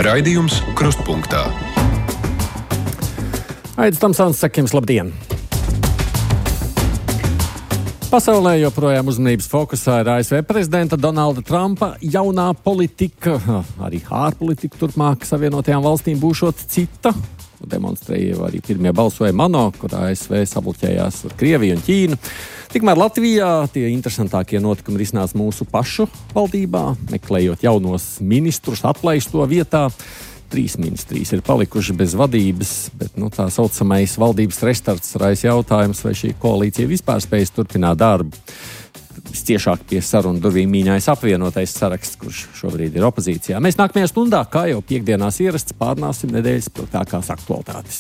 Raidījums Krustpunktā. Aidis Tamsāns saka jums labdien! Pasaulē joprojām uzmanības fokusā ir ASV prezidenta Donalda Trumpa jaunā politika, arī ārpolitika turpmāk Savienotajām valstīm būšot cita. Demonstrēja arī pirmie balsojumi ANO, kur ASV sabloķējās ar Krieviju un Ķīnu. Tikmēr Latvijā tie interesantākie notikumi risinās mūsu pašu valdībā, meklējot jaunos ministrus atlaisto vietā. 3 ministrijas ir palikuši bez vadības, bet tā saucamais valdības restarts raisa jautājums, vai šī koalīcija vispār spējas turpināt darbu. Visciešāk pie sarunu durvīm mīņājas apvienotais saraksts, kurš šobrīd ir opozīcijā. Mēs nākamajā stundā, kā jau piekdienās ierasts, pārnāsim nedēļas spilgtākās aktualitātes.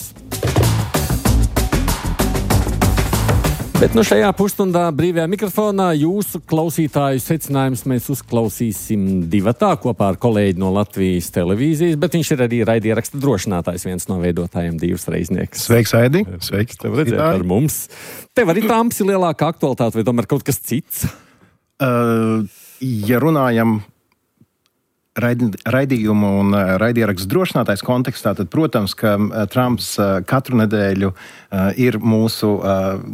Bet šajā pusstundā brīvajā mikrofonā jūsu klausītāju secinājumus mēs uzklausīsim divatā kopā ar kolēģi no Latvijas televīzijas, bet viņš ir arī raidieraksta drošinātājs, viens no veidotājiem, Divs Reiznieks. Sveiks, Aidi! Sveiks! Tev redzēt ar mums. Tev arī Trumps ir lielākā aktualitāte, vai tomēr kaut kas cits? Ja runājam raidījumu un raidierakstu drošinātājs kontekstā, tad, protams, ka Trumps katru nedēļu ir mūsu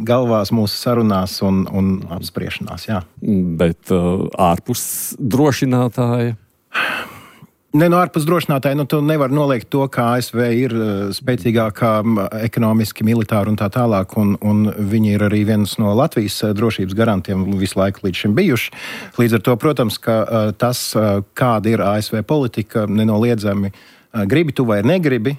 galvās, mūsu sarunās un apspriešanās, jā. Bet ārpus drošinātāja? Ārpus drošinātāji, tu nevar noliegt to, ka ASV ir spēcīgākā ekonomiski, militāri un tā tālāk, un viņi ir arī viens no Latvijas drošības garantiem visu laiku līdz šim bijuši. Līdz ar to, protams, ka tas, kāda ir ASV politika, nenoliedzami gribi tu vai negribi,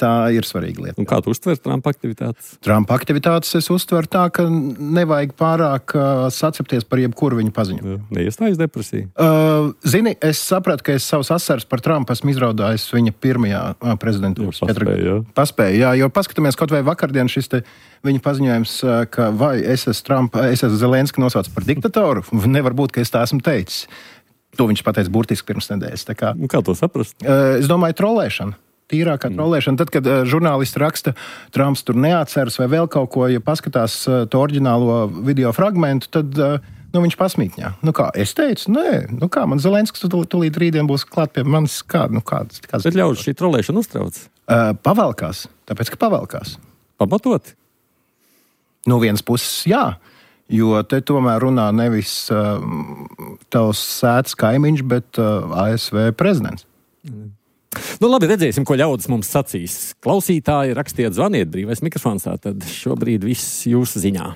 tā ir svarīga lieta. Un kā tu uztver Trumpa aktivitātes? Trumpa aktivitātes es uztveru tā, ka nevajag pārāk sacepties par jebkuru viņu paziņu. Neiestājas depresija? Zini, es sapratu, ka es savus asaras par Trumpu esmu izraudājis viņa pirmajā prezidentūras. Paspēju, jo paskatāmies kaut vai vakardien šis te viņa paziņojums, ka vai es esmu Zelenski nosaucis par diktatoru, nevar būt, ka es tā esmu teicis. To viņš pateica burtiski pirms nedēļas. Kā to saprast? Es domāju, trolēšana. Tīrākā trolēšana. Tad, kad žurnālisti raksta, Trumps tur neatceras vai vēl kaut ko, ja paskatās to oriģinālo video fragmentu, tad viņš pasmītņā. Kā, es teicu? Nē. Kā, man Zelenskis tūlīt rītdien būs klāt pie manis. Kāds? Bet ļaudis šī trolēšana uztrauc? Pavelkās. Tāpēc, ka pavelkās. Pamatot? No vienas puses, jā. Jo te tomēr runā nevis tavs sētas kaimiņš, bet ASV prezidents. Labi, redzēsim, ko ļaudis mums sacīs. Klausītāji, rakstiet, zvaniet, brīvais mikrofons, tad šobrīd viss jūsu ziņā.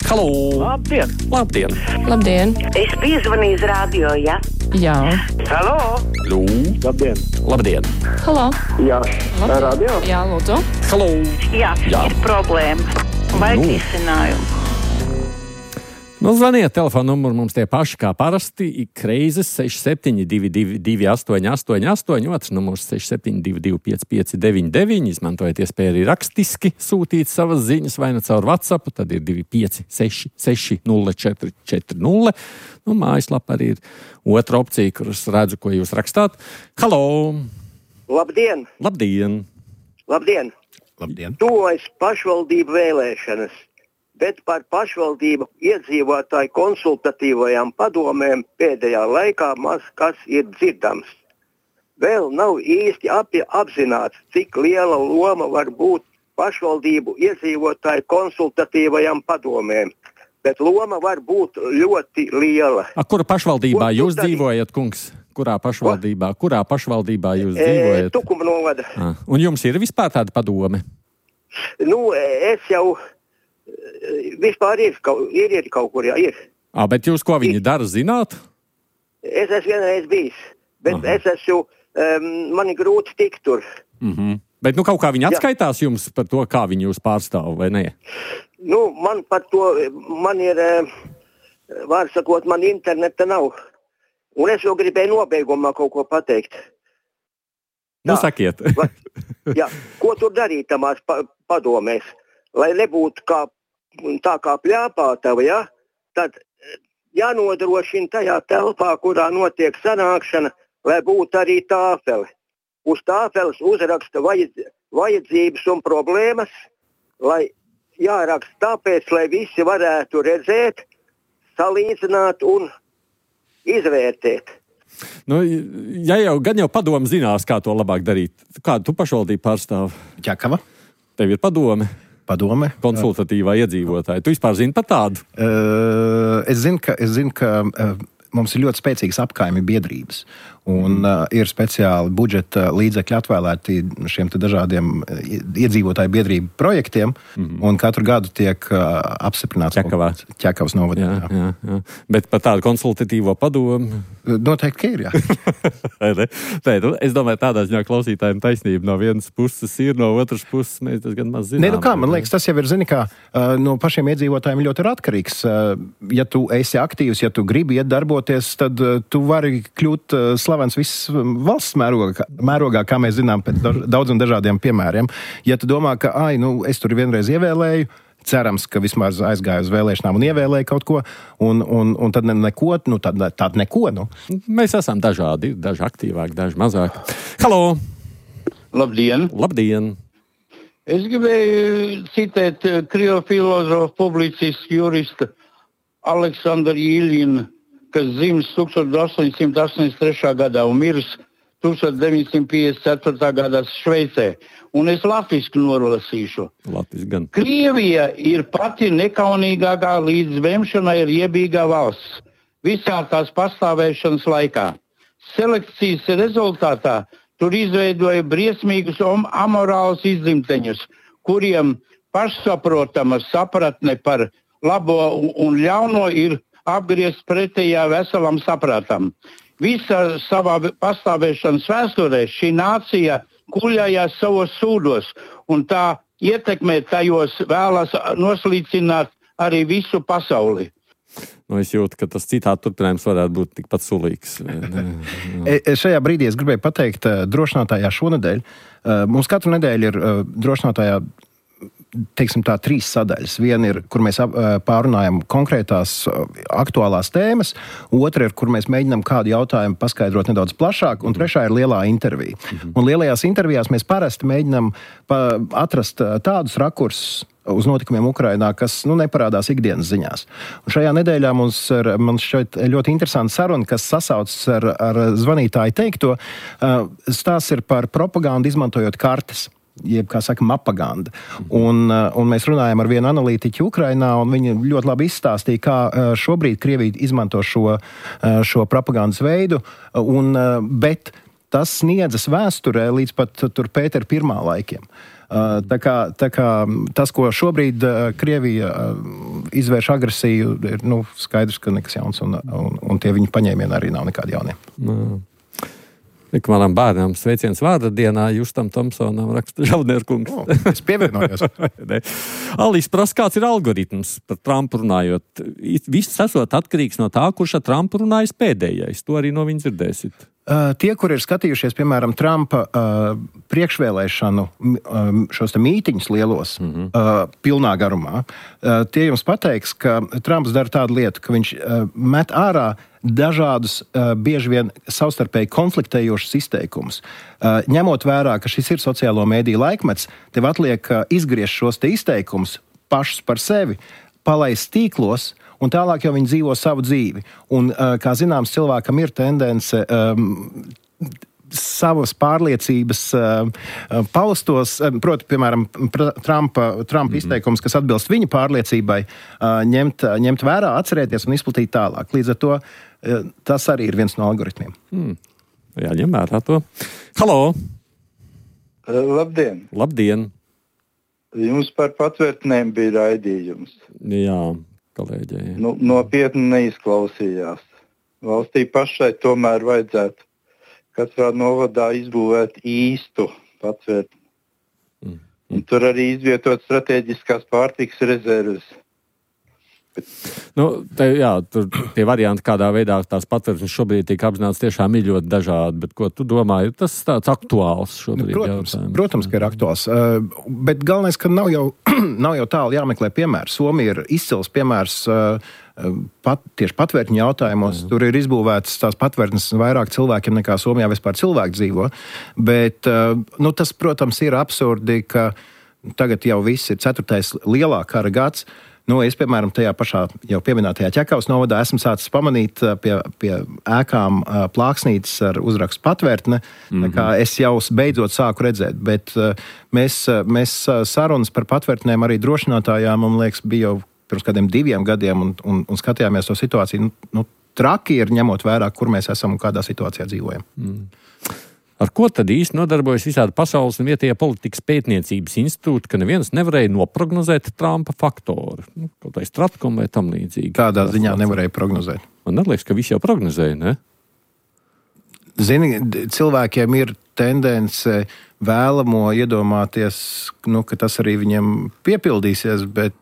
Halo! Labdien! Labdien! Labdien! Es piezvanīju uz radio, ja? Jā. Halo! Lū! Labdien! Labdien! Halo! Jā. Labdien. Radio? Jā, lūdzu. Halo! Jā. Ir problēma. Vajag risinājumu. Zvaniet, telefona numuru mums tie paši kā parasti, ik reizes 6722 888, otrs numurs 6722 559, izmantojiet iespēju arī rakstiski sūtīt savas ziņas vai caur WhatsApp, tad ir 2566 0440. Mājaslapā arī ir otra opcija, kuras redzu, ko jūs rakstāt. Halo! Labdien! Labdien! Labdien! Labdien! Tuvojas pašvaldību vēlēšanas, bet par pašvaldību iedzīvotāju konsultatīvajām padomēm pēdējā laikā maz kas ir dzirdams. Vēl nav īsti apzināts, cik liela loma var būt pašvaldību iedzīvotāju konsultatīvajām padomēm, bet loma var būt ļoti liela. Kura pašvaldībā jūs dzīvojat, kungs? Kurā pašvaldībā jūs dzīvojat? Tukuma novada. Un jums ir vispār tāda padome? Es jau vispār ir kaut kur, jā, ir. Bet jūs ko viņi dara, zināt? Es esmu vienreiz bijis, bet man ir grūti tikt tur. Bet kaut kā viņi atskaitās jums par to, kā viņi jūs pārstāv, vai ne? Man par to, man ir, var sakot, man interneta nav. Un es jau gribēju nobeigumā kaut ko pateikt. Sakiet. Jā, ko tur darīt tamās padomēs? Lai nebūtu tā kā pļāpātava, ja? Tad jānodrošina tajā telpā, kurā notiek sanākšana, lai būtu arī tāfele. Uz tāfeles uzraksta vajadzības un problēmas, lai jāraksta tāpēc, lai visi varētu redzēt, salīdzināt un izvērtēt. Nu, gan jau padomu zinās, kā to labāk darīt. Kādu tu pašvaldību pārstāv? Ķekava. Tev ir padome? Konsultatīvā iedzīvotāja. Tu vispār zini par tādu? Es zinu, ka mums ir ļoti spēcīgas apkaimi biedrības. Un ir speciāli budžeta līdzekļi atvēlēti šiem te dažādiem iedzīvotāju biedrību projektiem, un katru gadu tiek apstiprināts Ķekavas novadā. Jā. Bet par tādu konsultatīvo padomu? Noteikti, ka ir, jā. Es domāju, tādā ziņā klausītājiem taisnība no vienas puses ir, no otras puses mēs tas gan maz zinām. Man liekas, tas jau ir, no pašiem iedzīvotājiem ļoti ir atkarīgs. Ja tu esi aktīvs, ja tu gribi iet darboties, tad tu vari kļūt slavens viss valsts mērogā, kā mēs zinām, pēc daudziem dažādiem piemēriem. Ja tu domā, ka, es tur vienreiz ievēlēju, cerams, ka vismaz aizgāju uz vēlēšanām un ievēlēju kaut ko, un tad neko. Mēs esam dažādi, daži aktīvāki, daži mazāk. Halo! Labdien! Labdien! Es gribēju citēt krievu filozofu, publicistu, jurista Aleksandru Iļinu, kas dzimis 1883. gadā un mirs 1954. gadā Šveicē. Un es latviski nolasīšu. Krievija ir pati nekaunīgākā līdz vemšanai riebīgā valsts visā tās pastāvēšanas laikā. Selekcijas rezultātā tur izveidoja briesmīgus amorālus izdzimteņus, kuriem pašsaprotama sapratne par labo un ļauno ir apgriezt pretējā veselam saprātam. Visa savā pastāvēšanas vēsturē šī nācija kuļājās savos sūdos, un tā ietekmē tajos vēlas noslīcināt arī visu pasauli. Es jūtu, ka tas citāts turpinājums varētu būt tikpat sulīgs. Šajā brīdī es gribēju pateikt drošinātājā šonedēļ. Mums katru nedēļu ir drošinātājā, teiksim tā, 3 sadaļas. Viena ir, kur mēs pārunājam konkrētās aktuālās tēmas, otra ir, kur mēs mēģinām kādu jautājumu paskaidrot nedaudz plašāk, un trešā ir lielā intervija. Un lielajās intervijās mēs parasti mēģinām atrast tādus rakursus uz notikumiem Ukrainā, kas neparādās ikdienas ziņās. Un šajā nedēļā mums šķiet ļoti interesanta saruna, kas sasaucas ar zvanītāju teikto. Stāsts ir par propagandu izmantojot kartes, jeb, kā saka, mapaganda. Un mēs runājam ar vienu analītiķu Ukrainā, un viņi ļoti labi izstāstīja, kā šobrīd Krievija izmanto šo propagandas veidu, bet tas sniedzas vēsturē līdz pat tur Pētera I laikiem. Tā kā tas, ko šobrīd Krievija izvērš agresiju, ir skaidrs, ka nekas jauns, un tie viņa paņēmieni arī nav nekādi jaunie. Manam bērnam sveiciens vārda dienā Justam Tomsonam raksta Žaudnierkungs. Es pievienojos. Alis prasa, kāds ir algoritms par Trumpu runājot. Viss esot atkarīgs no tā, kurš ar Trumpu runājis pēdējais. To arī no viņa dzirdēsit. Tie, kur ir skatījušies, piemēram, Trumpa priekšvēlēšanu šos te mītiņus lielos, pilnā garumā, tie jums pateiks, ka Trumps dara tādu lietu, ka viņš met ārā dažādus, bieži vien savstarpēji konfliktējošus izteikumus. Ņemot vērā, ka šis ir sociālo mēdīju laikmets, tev atliek izgriezt šos te izteikumus pašus par sevi, palaist tīklos, un tālāk jau viņi dzīvo savu dzīvi. Un, kā zināms, cilvēkam ir tendence savas pārliecības paustos, proti, piemēram, Trumpa izteikums, kas atbilst viņa pārliecībai, ņemt vērā, atcerēties un izplatīt tālāk. Līdz ar to tas arī ir viens no algoritmiem. Jāņem vērā to. Halo! Labdien! Labdien! Jums par patvērtnēm bija raidījums. Jā, kolēģi. Nopietni neizklausījās. Valstī pašai tomēr vajadzētu katrā novadā izbūvēt īstu patvērtni. Un tur arī izvietot strateģiskās pārtikas rezerves. Tur tie varianti, kādā veidā tās patvērtnes šobrīd tiek apzināts, tiešām ir ļoti dažādi. Bet ko tu domā, ir tas tāds aktuāls šobrīd? Protams, ka ir aktuāls. Bet galvenais, ka nav jau tālu jāmeklē piemērs. Somija ir izcils piemērs tieši patvērtņu jautājumos. Tur ir izbūvētas tās patvērtnes vairāk cilvēkiem nekā Somijā vispār cilvēki dzīvo. Bet tas, protams, ir absurdi, ka tagad jau viss ir 4. lielā kara gads. Es, piemēram, tajā pašā jau pieminētajā Ķekavas novadā esmu sācis pamanīt pie ēkām plāksnītes ar uzrakstu patvērtne, tā kā es jau beidzot sāku redzēt, bet mēs sarunas par patvērtnēm arī drošinātājām, man liekas, bija jau pirms kādiem 2 gadiem un skatījāmies to situāciju. Traki ir ņemot vērā, kur mēs esam un kādā situācijā dzīvojam. Ar ko tad īsti nodarbojas visādi pasaules un vietējā politikas pētniecības institūti, ka neviens nevarēja noprognozēt Trumpa faktoru? Kaut vai Stratkom vai tam līdzīgi. Kādā ziņā nevarēja prognozēt? Man neliekas, ka visi jau prognozēja, ne? Zini, cilvēkiem ir tendence vēlamo iedomāties, ka tas arī viņiem piepildīsies, bet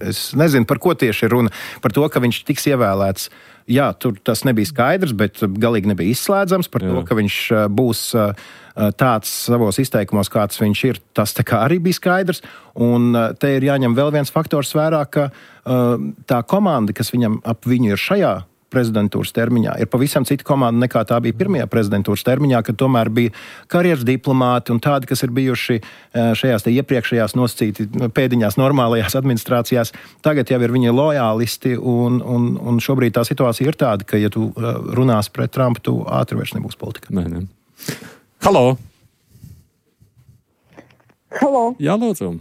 es nezinu, par ko tieši ir runa. Par to, ka viņš tiks ievēlēts. Jā, tur tas nebija skaidrs, bet galīgi nebija izslēdzams. Par to, ka viņš būs tāds savos izteikumos, kāds viņš ir, tas tā kā arī bija skaidrs. Un te ir jāņem vēl viens faktors vērā, ka tā komanda, kas ap viņu ir šajā prezidentūras termiņā, ir pavisam cita komanda nekā tā bija pirmajā prezidentūras termiņā, kad tomēr bija karjeras diplomāti un tādi, kas ir bijuši šajās te iepriekšējās nosacīti pēdiņās normālajās administrācijās. Tagad jau ir viņi lojālisti un šobrīd tā situācija ir tāda, ka, ja tu runās pret Trumpu, tu ātri vairs nebūs politika. Nē. Halo! Halo! Jā, lūdzu!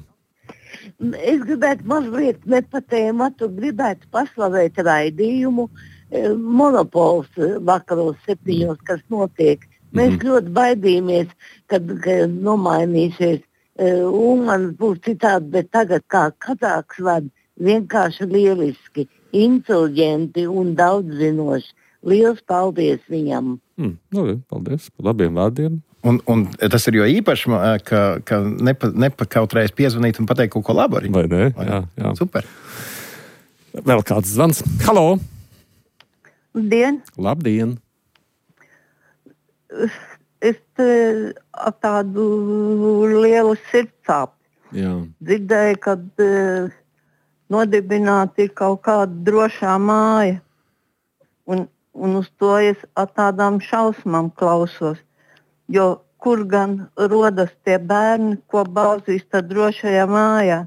Es gribētu mazliet ne pa tēmatu, gribētu paslavēt raidījumu Monopols vakaros 7, kas notiek. Mēs ļoti baidījāmies, kad nomainīsies un man būs citādi, bet tagad kā Kazāks vada vienkārši lieliski, inteliģenti un daudzinoši. Liels paldies viņam! Paldies par labiem vārdiem! Un tas ir jo īpaši, ka nepakautrējas piezvanīt un pateikt kaut ko labu arī. Vai ne? Jā. Super. Vēl kāds zvans. Halo! Labdien! Es ar tādu lielu sirdsāpi dzirdēju, kad nodibināta ir kaut kāda drošā māja. Un uz to es ar tādām šausmām klausos. Jo kur gan rodas tie bērni, ko bāzīs tā drošajā mājā?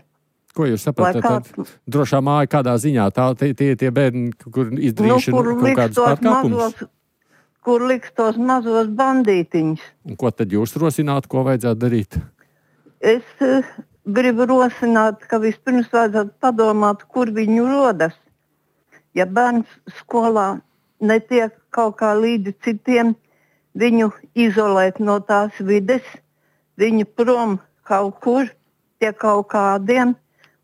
Ko jūs saprotat? Drošā māja kādā ziņā? Tie bērni, kur izdarījuši kaut kādus pārkāpumus? Kur liks tos mazos bandītiņus? Un ko tad jūs rosināt, ko vajadzētu darīt? Es gribu rosināt, ka vispirms vajadzētu padomāt, kur viņu rodas. Ja bērns skolā netiek kaut kā līdzi citiem, viņu izolēt no tās vides, viņu prom kaut kur pie kaut kādiem.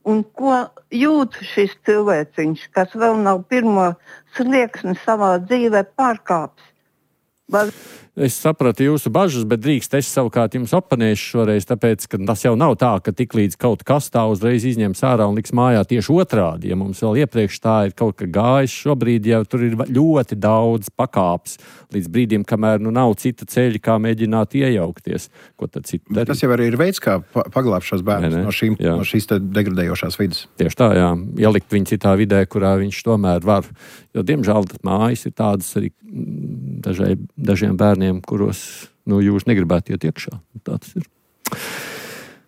Un ko jūt šis cilvēciņš, kas vēl nav pirmo slieksni savā dzīvē pārkāpis? Es sapratu jūsu bažas, bet drīkst es savukārt jums oponēšu šoreiz, tāpēc, ka tas jau nav tā, ka tiklīdz kaut kas tā uzreiz izņems ārā un liks mājā tieši otrādi. Ja mums vēl iepriekš tā ir kaut kā gājis, šobrīd jau tur ir ļoti daudz pakāpes līdz brīdim, kamēr nav cita ceļa, kā mēģināt iejaukties. Ko tad citu darīt? Tas jau arī ir veids, kā paglābt šos bērnus no šīs degradējošās vidas. Tieši tā, jā. Ielikt viņu citā vidē, kurā viņš tomēr var. Jo, diemžēl, mājas ir tādas arī dažiem bērniem, kuros jūs negribētu iet iekšā. Tāds ir.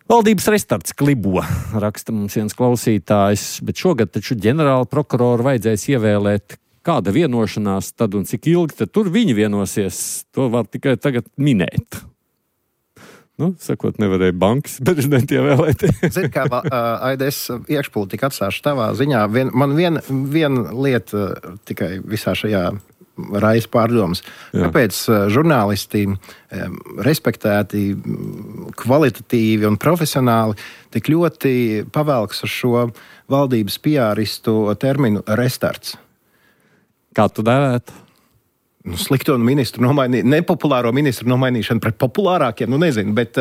Valdības restarts klibo, raksta mums viens klausītājs, bet šogad taču ģenerāla prokuroru vajadzēs ievēlēt. Kāda vienošanās tad un cik ilgi tad tur viņi vienosies, to var tikai tagad minēt. Sakot, nevarēja bankas prezidenti ievēlēt. Zini, kā AIDS iekšpolitika atstāšu tavā ziņā. Man viena lieta tikai visā šajā raisa pārdomas. Kāpēc žurnālisti respektēti, kvalitatīvi un profesionāli tik ļoti pavelks uz šo valdības PR-istu terminu restarts? Kā tu dēvētu? Slikto ministru nepopulāro ministru nomainīšanu pret populārākiem, nezinu, bet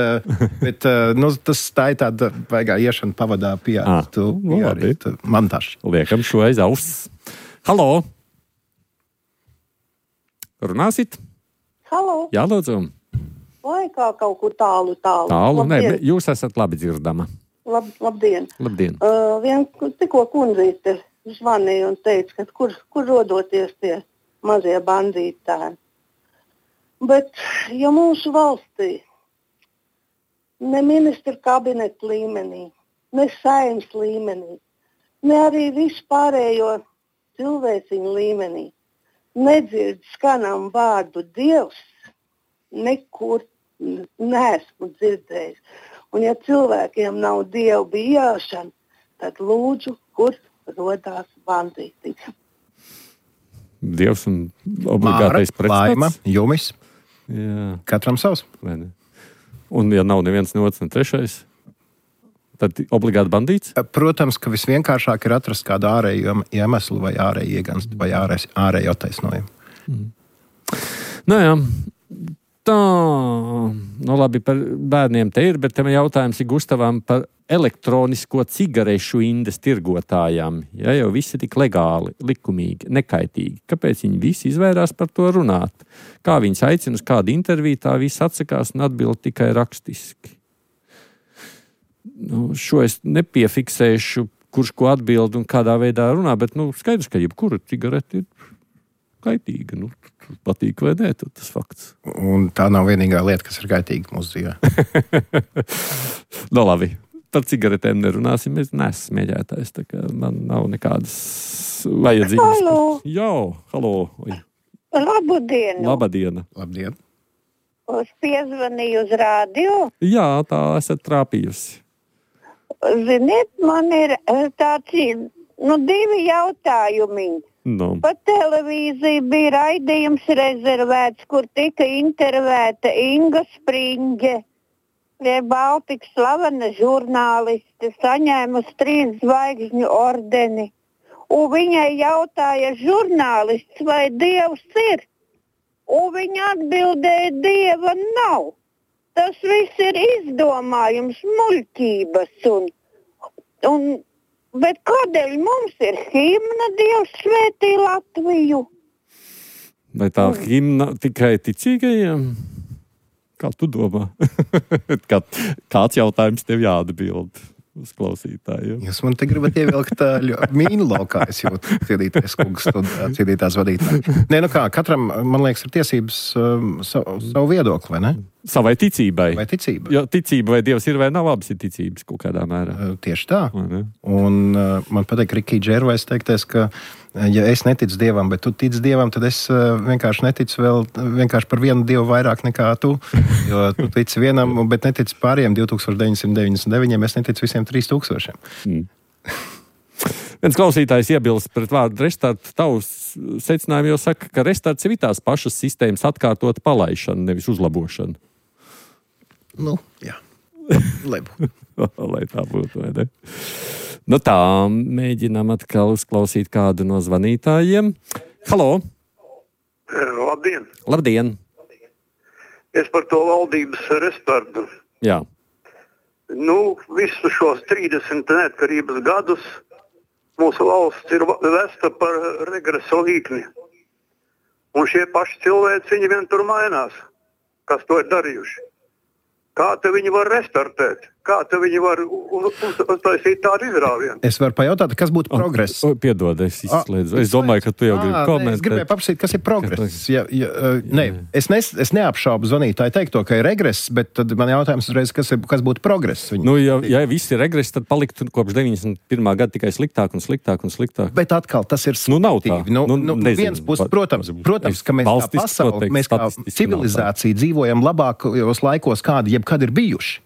tas tā ir tāda vaigā iešana pavadā PR-istu montāžu. Liekam šo aiz auss. Halo! Runāsit? Halo! Jā, lūdzu. Vai kā kaut kur tālu? Tālu, nē, jūs esat labi dzirdama. Labdien! Labdien! Tikko kundzīte zvanīja un teica, ka kur rodoties tie mazie bandītāji. Bet, ja mūsu valstī ne ministra kabineta līmenī, ne saeimas līmenī ne arī vispārējo cilvēciņu līmenī. Nedzird skanam vārdu Dievs, nekur neesmu dzirdējis. Un ja cilvēkiem nav Dievu bijāšana, tad lūdzu, kur rodās bandītis. Dievs un obligātais pretstats. Laima, Jumis. Jā. Katram savs. Un ja nav neviens, ne otrs, ne trešais, tad obligāti bandīts? Protams, ka visvienkāršāk ir atrast kādu ārēju iemeslu vai ārēju ieganstu vai ārēju attaisnojumu. Nu jā, tā, labi, par bērniem te ir, bet te jautājums ir Gustavam par elektronisko cigarešu indes tirgotājām. Ja jau visi tik legāli, likumīgi, nekaitīgi. Kāpēc viņi visi izvairās par to runāt? Kā viņus aicina uz kādu interviju, tā visi atsakās un atbild tikai rakstiski. Šo es nepiefiksēšu, kurš ko atbild un kādā veidā runā, bet skaidrs, ka jebkura cigarete ir kaitīga. Patīk vai nē, tad tas fakts. Un tā nav vienīgā lieta, kas ir kaitīga mūsu dzīvē. Labi. Par cigaretēm nerunāsim, es neesmu smēķētājs, tā kā man nav nekādas vajadzības. Halo! Jā, halo! Labdienu! Labdien! Es piezvanīju uz rādio. Jā, tā esat trāpījusi. Ziniet, man ir tāds, divi jautājumi. Pa televīziju bija raidījums rezervēts, kur tika intervēta Inga Springe. Baltikas slavena žurnāliste, saņēmusi 3 zvaigžņu ordeni. Un viņai jautāja žurnālists, vai Dievs ir? Un viņa atbildēja, Dieva nav. Tas viss ir izdomājums, muļķības. Bet kādēļ mums ir himna Dievs svētī Latviju? Vai tā himna tikai ticīgajiem? Kā tu domā? Kāds jautājums tev jāatbild uz klausītājiem? Jūs man te gribat ievilkt mīnu laukā, es jūtu ciedītais kungs, ciedītās vadītāji. Nē, katram, man liekas, ir tiesības savu viedokli, vai ne? Savai ticībai. Vai ticība. Jo ticība vai Dievs ir vai nav, abas ir ticības kaut kādā mērā. Tieši tā. Un man patīk Rikija Džervais teiktais, ka ja es neticu Dievam, bet tu tici Dievam, tad es vienkārši neticu vēl vienkārši par vienu Dievu vairāk nekā tu. Jo tu tici vienam, bet netici pāriem 2999, es neticu visiem 3000. Viens klausītājs iebilst pret vārdu restart. Tavs secinājumi jau saka, ka restarts ir tās pašas sistēmas atkārtot palaišana, nevis uzlabošana. Jā. Lai būtu. Lai tā būtu, vai ne? Tā, mēģinām atkal uzklausīt kādu no zvanītājiem. Halo! Labdien! Labdien! Es par to valdības restartu. Jā. Visu šos 30 neatkarības gadus mūsu valsts ir vesta par regresa līkni. Un šie paši cilvēci, viņi vien tur mainās, kas to ir darījuši. Kā te viņi var restartēt? Kā te viņi var uztaisīt tādu izrāvienu? Es varu pajautāt, kas būtu progress? Piedod, es izslēdzu. Es domāju, ka tu jau gribi komentēt. Es gribēju paprasīt, kas ir progress. Es neapšaubu zvanītāju teikto, ka ir regress, bet tad man jautājums uzreiz, kas būtu progress? Ja viss ir regress, tad paliktu kopš 91. gada tikai sliktāk un sliktāk un sliktāk. Bet atkal, tas ir slikti. Viens puses, protams, ka mēs kā pasauli, mēs kā civilizācija dzīvojam labākos laikos, kādi jebkad ir bijuši.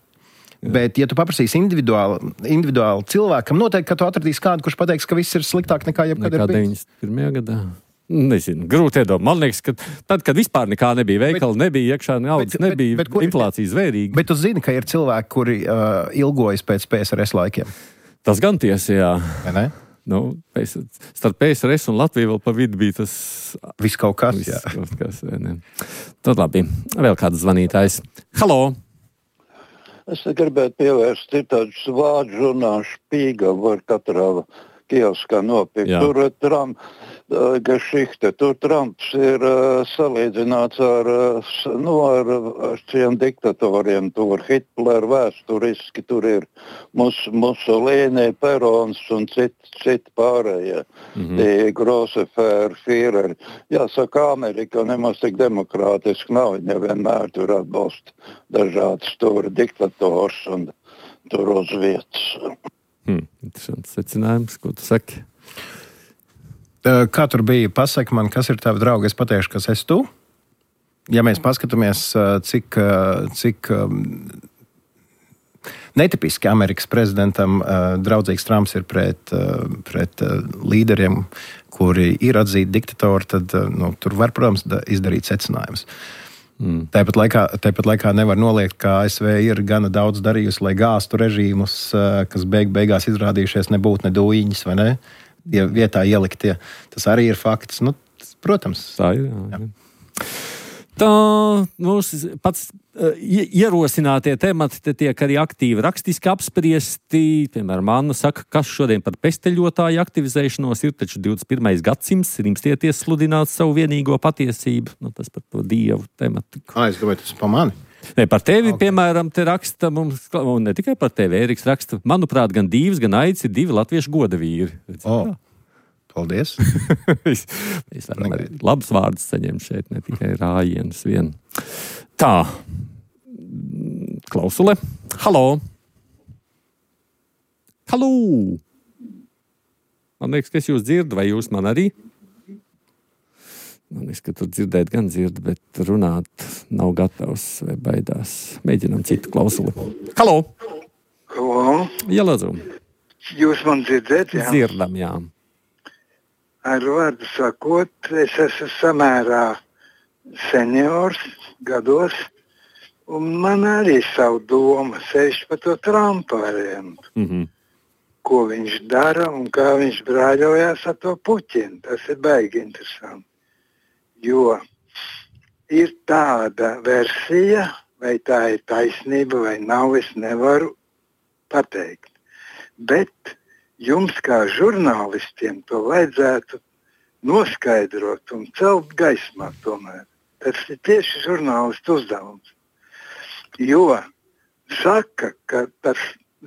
Bet, ja tu paprasīsi individuāli cilvēkam, noteikti, ka tu atradīsi kādu, kurš pateiks, ka viss ir sliktāk nekā jebkad ir bijis. 91. gadā. Nezinu, grūti iedomāt. Man liekas, ka tad, kad vispār nekā nebija, veikala nebija, iekšā naudas nebija, inflācija zvērīga. Bet tu zini, ka ir cilvēki, kuri ilgojas pēc PSRS laikiem. Tas gan tiesa, jā. Vai ne? Starp PSRS un Latviju vēl pa vidu bija tas... Viss kaut kas, jā. Tad labi. Vēl kāds zvanītājs. Halo! Es gribētu pievērst tādus vārdu žurnālu Špīga, var katrā kioskā nopirkt. Jā. Tur Tur Trumps ir salīdzināts ar šiem diktatoriem. Tur Hitler vēsturiski, tur ir Mussolini, Perons un citi pārējie. Grosse Führeri. Jāsaka, Amerika nemaz tik demokrātiski nav. Viņa vienmēr tur atbalsta dažādas tur diktators un tur uz vietas. interesants secinājums, ko tu saki. Kā tur bija? Pasaki man, kas ir tavi draugi, es pateikšu, kas esi tu. Ja mēs paskatāmies, cik netipiski Amerikas prezidentam draudzīgs Trumps ir pret līderiem, kuri ir atzīti diktatori, tad tur var, protams, izdarīt secinājumus. Tāpat laikā nevar noliegt, ka ASV ir gana daudz darījusi, lai gāstu režīmus, kas beigās izrādījušies nebūt nedūjiņas, vai ne? Ja vietā ieliktie. Tas arī ir fakts. Protams. Tā ir, jā. Tā mūsu pats ierosinātie temati te tiek arī aktīvi rakstiski apspriesti. Piemēram, Anna saka, kas šodien par pesteļotāju aktivizēšanos ir taču 21. gadsimts, rimstieties sludināt savu vienīgo patiesību. Tas par to dievu tematiku. Es domāju, tas par mani. Ne, par tevi, piemēram, te raksta mums, un ne tikai par tevi, Ēriks raksta, manuprāt, gan Dīvs, gan Aicis ir 2 latviešu goda vīri. Paldies. Mēs varam arī labus vārdus saņemt šeit, ne tikai rājienus vien. Tā, klausule. Halo. Halo. Man liekas, ka es jūs dzirdu, vai jūs man arī? Man liekas, ka tur dzirdēt gan dzird, bet runāt nav gatavs vai baidās. Mēģinām citu klausuli. Halo! Halo! Jā, lūdzu. Jūs man dzirdat, jā? Dzirdam, jā. Ar vārdu sakot, es esmu samērā seniors gados, un man arī savu domu sevišķi par to Trumpa variantu. Ko viņš dara un kā viņš brāļojās ar to Puķinu. Tas ir baigi interesanti. Jo ir tāda versija, vai tā ir taisnība vai nav, es nevaru pateikt. Bet jums kā žurnālistiem to vajadzētu noskaidrot un celt gaismā tomēr. Tas ir tieši žurnālistu uzdevums. Jo saka, ka tas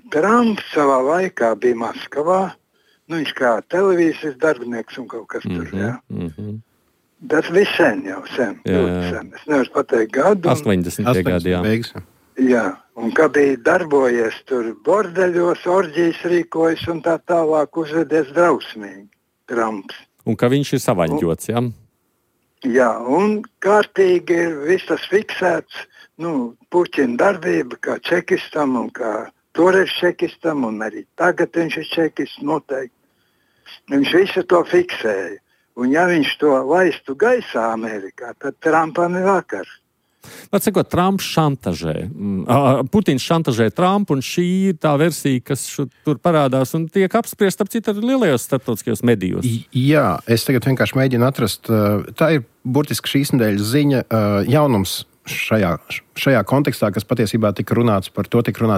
Trumps savā laikā bija Maskavā, viņš kā televīzijas darbinieks un kaut kas tur, jā. Tas bija sen jau, sen. Es nevaru pateikt gadu. 80. gadi, jā. Jā, un kad bija darbojies tur bordeļos, orģijas rīkojas un tā tālāk uzvedies drausmīgi Trumps. Un ka viņš ir savaņģots, jā? Jā, un kārtīgi ir viss tas fiksēts, Puķina darbība kā čekistam un kā toreiz čekistam, un arī tagad viņš ir čekists noteikti. Viņš visu to fiksēja. Un ja viņš to laistu gaisā Amerikā, tad Trumpam ir vakar. Atsakot, Trumps šantažē. Putins šantažē Trumpu, un šī ir tā versija, kas tur parādās un tiek apspriest, ap citu, lielajos starptautiskajos medijos. Jā, es tagad vienkārši mēģinu atrast. Tā ir burtiski šīs nedēļas ziņa, jaunums šajā kontekstā, kas patiesībā tika runāts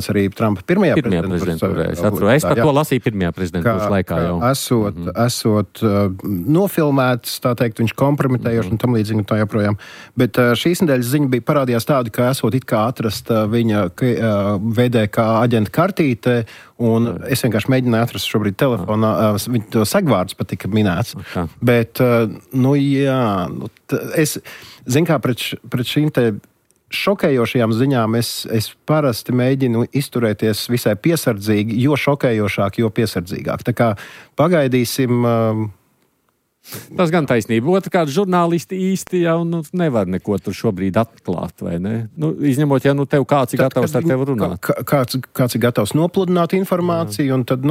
arī Trumpa pirmajā prezidentūrā. Es par to lasīju pirmajā prezidentūras laikā jau. Esot nofilmēts, tā teikt, viņš kompromitējoši un tam līdzīgi tā joprojām. Bet šīs nedēļas ziņa bija parādījās tāda, ka esot it kā atrast viņa VDK aģenta kartīte, un es vienkārši mēģināju atrast šobrīd telefonā, viņa to sagvārds pat tika minēts. Bet, es zinu, kā pret šīm te šokējošajām ziņām es parasti mēģinu izturēties visai piesardzīgi, jo šokējošāk, jo piesardzīgāk. Tā kā pagaidīsim. Tas gan taisnība. Otrkārt, žurnālisti īsti jau nevar neko tur šobrīd atklāt, vai ne? Izņemot, ja tev kāds ir gatavs ar tevi runāt. Kāds ir gatavs nopludināt informāciju, un tad,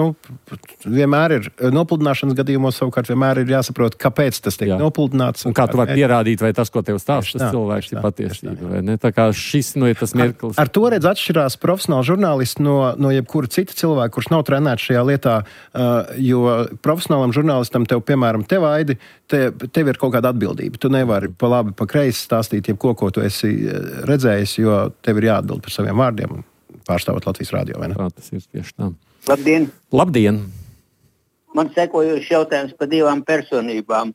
vienmēr ir nopludināšanas gadījumos savukārt vienmēr ir jāsaprot, kāpēc tas tiek nopludināts. Un kā tu vari pierādīt, vai tas, ko tev stāsta, tas cilvēks ir patiesība, vai ne? Tā kā šis ir tas mirklis. Ar to redz atšķirās profesionāli žurnālisti no jebkura cita cilvēka, kurš nav trenēts šajā lietā, jo profesionālam žurnālistam tev tev ir kaut kāda atbildība. Tu nevari pa labi, pa kreisi stāstīt jebko, ko tu esi redzējis, jo tev ir jāatbild par saviem vārdiem, pārstāvot Latvijas radio, vai ne? Tā tas ir tieši tā. Labdien! Labdien! Man sekojošs jautājums par 2 personībām.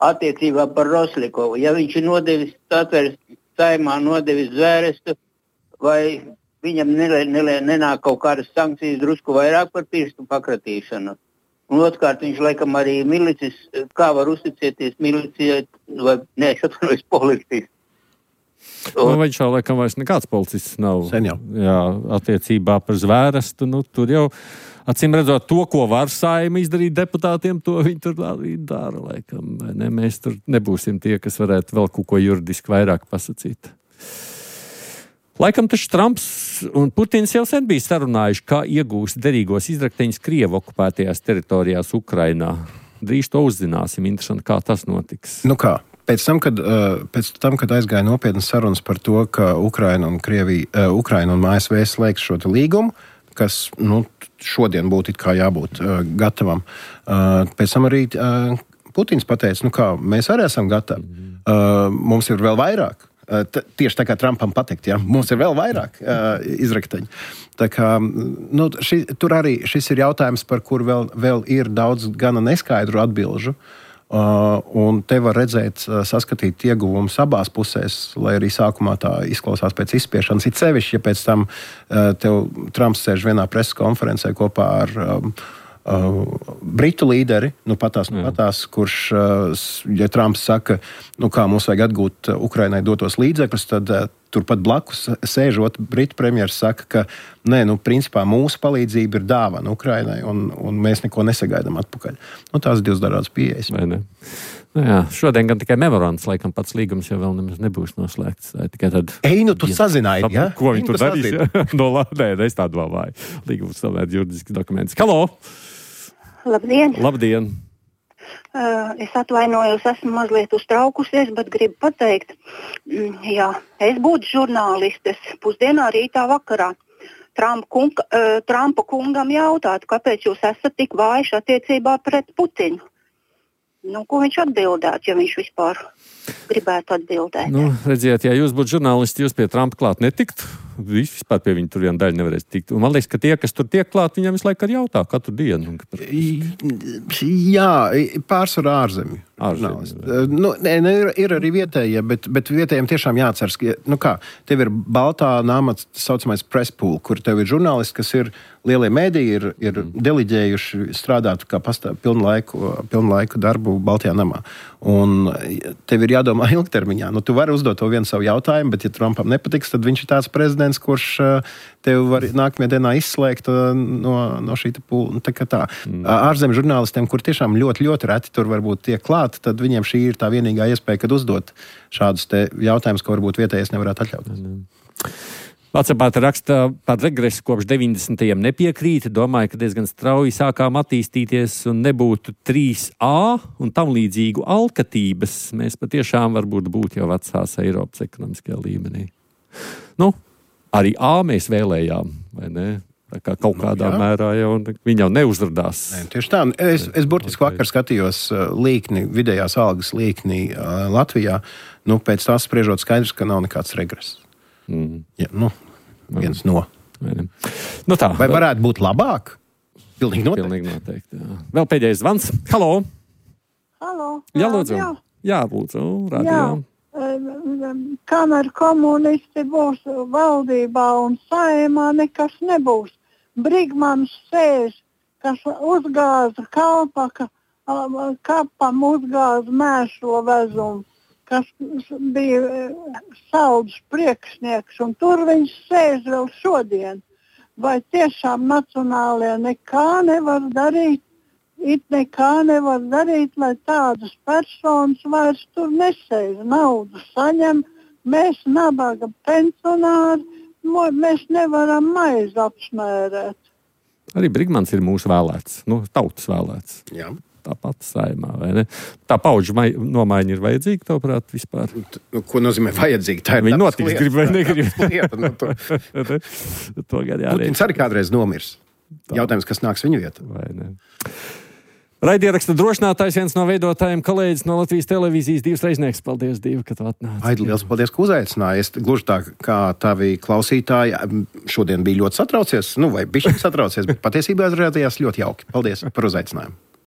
Attiecībā par Roslikovu. Ja viņš ir nodevis Satveres saimā, nodevis zvērestu, vai viņam nenāk kaut kādas sankcijas drusku vairāk par pirkstu pakratīšanu? Un otrkārt, viņš laikam arī milicis, kā var uzticēties milicijai, vai neatšatanojas policijas. Viņš jau laikam vairs nekāds policists nav. Sen jau. Jā, attiecībā par zvērestu, tur jau Acīm redzot, to, ko var Saeima izdarīt deputātiem, to viņi tur arī dara, laikam. Ne? Mēs tur nebūsim tie, kas varētu vēl kaut ko juridiski vairāk pasacīt. Laikam taču Trumps un Putins jau sen bija sarunājuši, kā iegūst derīgos izrakteņus Krievu okupētajās teritorijās Ukrainā. Drīz to uzzināsim. Interesanti, kā tas notiks. Nu kā? Pēc tam, kad aizgāja nopietnas sarunas par to, ka Ukraina un ASV slēgs šo līgumu, kas šodien būtu it kā jābūt gatavam, pēc tam arī Putins pateica, mēs arī esam gatavi. Mums ir vēl vairāk. Tieši tā kā Trumpam pateikt, mums ir vēl vairāk izrakteņu. Tā kā, tur arī šis ir jautājums, par kur vēl ir daudz gana neskaidru atbilžu. Un te var redzēt, saskatīt ieguvumus abās pusēs, lai arī sākumā tā izklausās pēc izspiešanas. It sevišķi, ja pēc tam tev Trumps sēž vienā preses konferencē kopā ar Britu līderi, patās, kurš, ja Trumps saka, kā mums vajag atgūt Ukrainai dotos līdzekļus, tad turpat blakus sēžot, Britu premjeras saka, ka principā mūsu palīdzība ir dāvana Ukrainai un mēs neko nesagaidām atpakaļ. Tās divas dažādas pieejas. Vai ne? Jā, šodien gan tikai memorands, laikam pats līgums jau vēl nemaz nebūs noslēgts. Tikai tad... Tu sazināji, ja? Ko viņi tur darīs? Nē, es tādu domāju. Līgums tomēr juridisks dokuments. Halo! Labdien! Labdien! Es atvainojos, esmu mazliet uztraukusies, bet gribu pateikt, es būtu žurnālistes pusdienā, rītā, vakarā. Trumpa kungam jautātu, kāpēc jūs esat tik vājš attiecībā pret Putinu. Ko viņš atbildētu, ja viņš vispār gribētu atbildēt? Redziet, ja jūs būtu žurnālisti, jūs pie Trumpa klāt netikt. Vispār pie viņa tur viena daļa nevarēs tikt. Un man liekas, ka tie, kas tur tiek klāt, viņam visu laiku arī jautā katru dienu. Jā, pārsvarā ārzemju. Ir arī vietējie, bet vietējiem tiešām jāatceras, ka tev ir Baltā nama saucamais press pool, kur tev ir žurnālisti, kas ir lielie mēdīji, ir deliģējuši strādāt kā pilnu laiku darbu Baltajā namā. Un tev ir jādomā ilgtermiņā. Tu vari uzdot to vienu savu jautājumu, bet ja Trumpam nepatiks, tad viņš ir tāds prezidents, kurš tev var nākamajā dienā izslēgt no šī pūla. Ārzemju žurnālistiem, kur tiešām ļoti, ļoti reti tur varbūt tiek klāt, tad viņiem šī ir tā vienīgā iespēja, kad uzdot šādus te jautājumus, ko varbūt vietējais nevarētu atļauties. Vācijā raksta par regresu kopš 90. nepiekrīt, domāju, ka diezgan strauji sākām attīstīties un nebūtu 3A un tam līdzīgu alkatības. Mēs patiešām varbūt būtu jau vecās Eiropas ekonomiskajā līmenī. Arī A mēs vēlējām, vai ne? Tā kā kaut kādā mērā jau viņi jau neuzradās. Tieši tā. Es burtiski vakar skatījos līkni, vidējās algas līkni Latvijā. Pēc tās spriežot skaidrs, ka nav nekāds regress. Viens no. Tā. Vai varētu būt labāk? Pilnīgi noteikti. Jā. Vēl pēdējais zvans. Halo! Halo! Jā, lūdzu. Jā, lūdzu. Radio. Kamēr komunisti būs valdībā un Saeimā, nekas nebūs. Brigmans sēž, kas uzgāza kapam uzgāza mēslo vezumu, kas bija saldus priekšnieks, un tur viņš sēž vēl šodien. Vai tiešām nacionālie nekā nevar darīt? Lai tādas personas vairs tur nesēž, naudu saņem, mēs nabaga pensionāri, mēs nevaram maizi apsmērēt. Arī Brigmans ir mūsu vēlēts, tautas vēlēts. Jā. Tāpat Saeimā, vai ne? Tā paudžu nomaiņa ir vajadzīga, tavuprāt, vispār? Ko nozīmē vajadzīga? Tā ir viņi notiks, grib vai negrib. Putins arī kādreiz nomirs. Jautājums, kas nāks viņu vietā. Vai ne? Raidieraksta drošinātājs, viens no veidotājiem, kolēģis no Latvijas televīzijas, Divs Reiznieks. Paldies, Divi, ka tu atnāci. Aidi, liels paldies, ka uzaicināji. Es gluži tā kā tavi klausītāji šodien bija ļoti satraucies, vai bišķi satraucies, bet patiesībā izrādījās ļoti jauki. Paldies par uzaicinājumu.